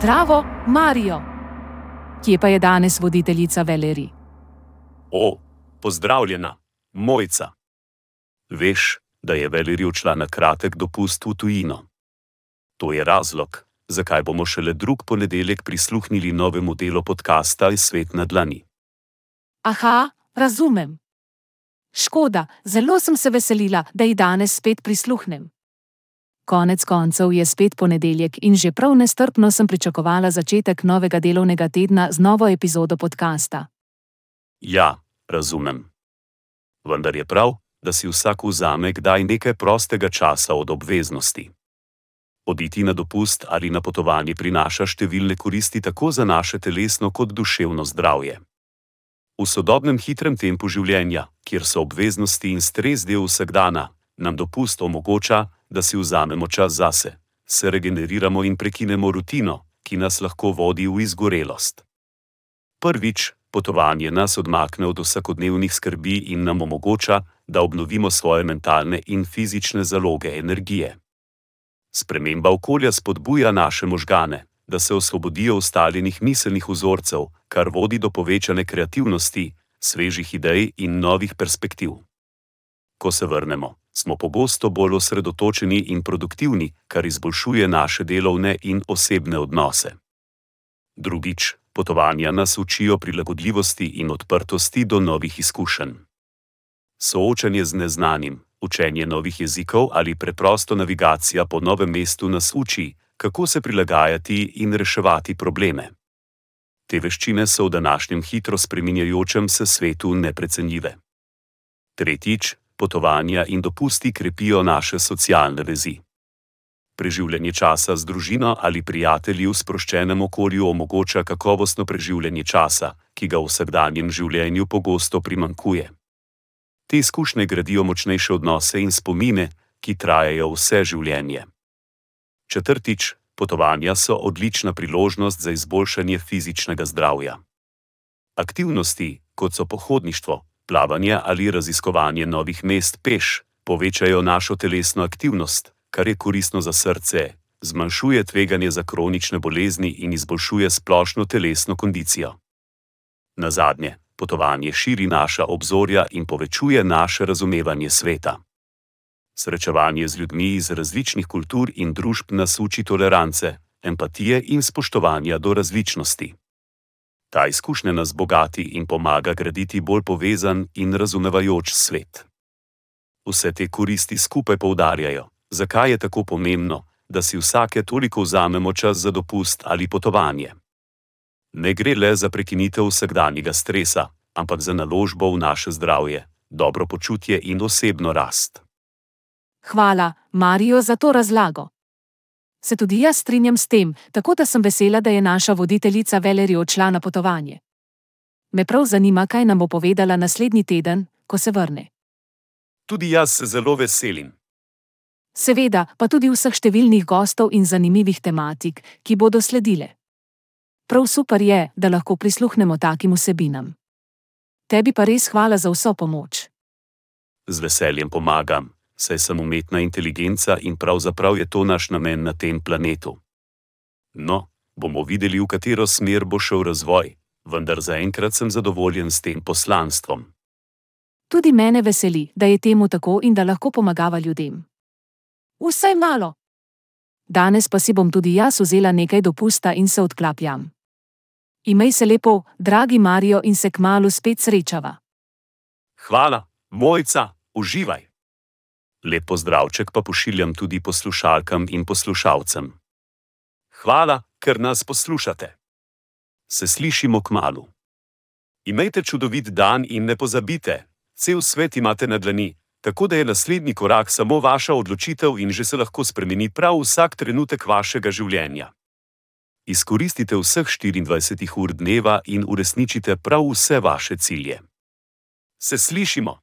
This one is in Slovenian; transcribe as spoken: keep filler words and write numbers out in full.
Zdravo, Marijo! Kje pa je danes voditeljica Valerij? O, pozdravljena, Mojca. Veš, da je Valerij odšla na kratek dopust v tujino. To je razlog, zakaj bomo šele drug ponedeljek prisluhnili novemu delu podcasta Svet na dlani. Aha, razumem. Škoda, zelo sem se veselila, da ji danes spet prisluhnem. Konec koncev je spet ponedeljek in že prav nestrpno sem pričakovala začetek novega delovnega tedna z novo epizodo podcasta. Ja, razumem. Vendar je prav, da si vsak vzame kdaj nekaj prostega časa od obveznosti. Oditi na dopust ali na potovanje prinaša številne koristi tako za naše telesno kot duševno zdravje. V sodobnem hitrem tempu življenja, kjer so obveznosti in stres del vsakdana, nam dopust omogoča, da si vzamemo čas zase, se regeneriramo in prekinemo rutino, ki nas lahko vodi v izgorelost. Prvič, potovanje nas odmakne od vsakodnevnih skrbi in nam omogoča, da obnovimo svoje mentalne in fizične zaloge energije. Sprememba okolja spodbuja naše možgane, da se osvobodijo ustaljenih miselnih vzorcev, kar vodi do povečane kreativnosti, svežih idej in novih perspektiv. Ko se vrnemo, smo pogosto bolj osredotočeni in produktivni, kar izboljšuje naše delovne in osebne odnose. Drugič, potovanja nas učijo prilagodljivosti in odprtosti do novih izkušenj. Soočanje z neznanim, učenje novih jezikov ali preprosto navigacija po novem mestu nas uči, kako se prilagajati in reševati probleme. Te veščine so v današnjem hitro spreminjajočem se svetu neprecenljive. Tretjič, potovanja in dopusti krepijo naše socialne vezi. Preživljanje časa z družino ali prijatelji v sproščenem okolju omogoča kakovostno preživljanje časa, ki ga v vsakdanjem življenju pogosto primanjkuje. Te izkušnje gradijo močnejše odnose in spomine, ki trajajo vse življenje. Četrtič, potovanja so odlična priložnost za izboljšanje fizičnega zdravja. Aktivnosti, kot so pohodništvo, plavanje ali raziskovanje novih mest peš, povečajo našo telesno aktivnost, kar je koristno za srce, zmanjšuje tveganje za kronične bolezni in izboljšuje splošno telesno kondicijo. Nazadnje, potovanje širi naša obzorja in povečuje naše razumevanje sveta. Srečevanje z ljudmi iz različnih kultur in družb nas uči tolerance, empatije in spoštovanja do različnosti. Ta izkušnja nas bogati in pomaga graditi bolj povezan in razumevajoč svet. Vse te koristi skupaj poudarjajo, zakaj je tako pomembno, da si vsake toliko vzamemo čas za dopust ali potovanje. Ne gre le za prekinitev vsakdanjega stresa, ampak za naložbo v naše zdravje, dobro počutje in osebno rast. Hvala, Marijo, za to razlago. Se tudi jaz strinjam s tem, tako da sem vesela, da je naša voditeljica Valerij odšla na potovanje. Me prav zanima, kaj nam bo povedala naslednji teden, ko se vrne. Tudi jaz se zelo veselim. Seveda, pa tudi vseh številnih gostov in zanimivih tematik, ki bodo sledile. Prav super je, da lahko prisluhnemo takim vsebinam. Tebi pa res hvala za vso pomoč. Z veseljem pomagam, saj sem umetna inteligenca in pravzaprav je to naš namen na tem planetu. No, bomo videli, v katero smer bo šel razvoj, vendar zaenkrat sem zadovoljen s tem poslanstvom. Tudi mene veseli, da je temu tako in da lahko pomagava ljudem. Vsaj malo. Danes pa si bom tudi jaz vzela nekaj dopusta in se odklapljam. Imej se lepo, dragi Marijo, in se kmalu spet srečava. Hvala, Mojca, uživaj. Lep pozdravček pa pošiljam tudi poslušalkam in poslušalcem. Hvala, ker nas poslušate. Se slišimo kmalu. Imejte čudovit dan in ne pozabite, cel svet imate na dlani, tako da je naslednji korak samo vaša odločitev in že se lahko spremeni prav vsak trenutek vašega življenja. Izkoristite vseh štiriindvajset ur dneva in uresničite prav vse vaše cilje. Se slišimo.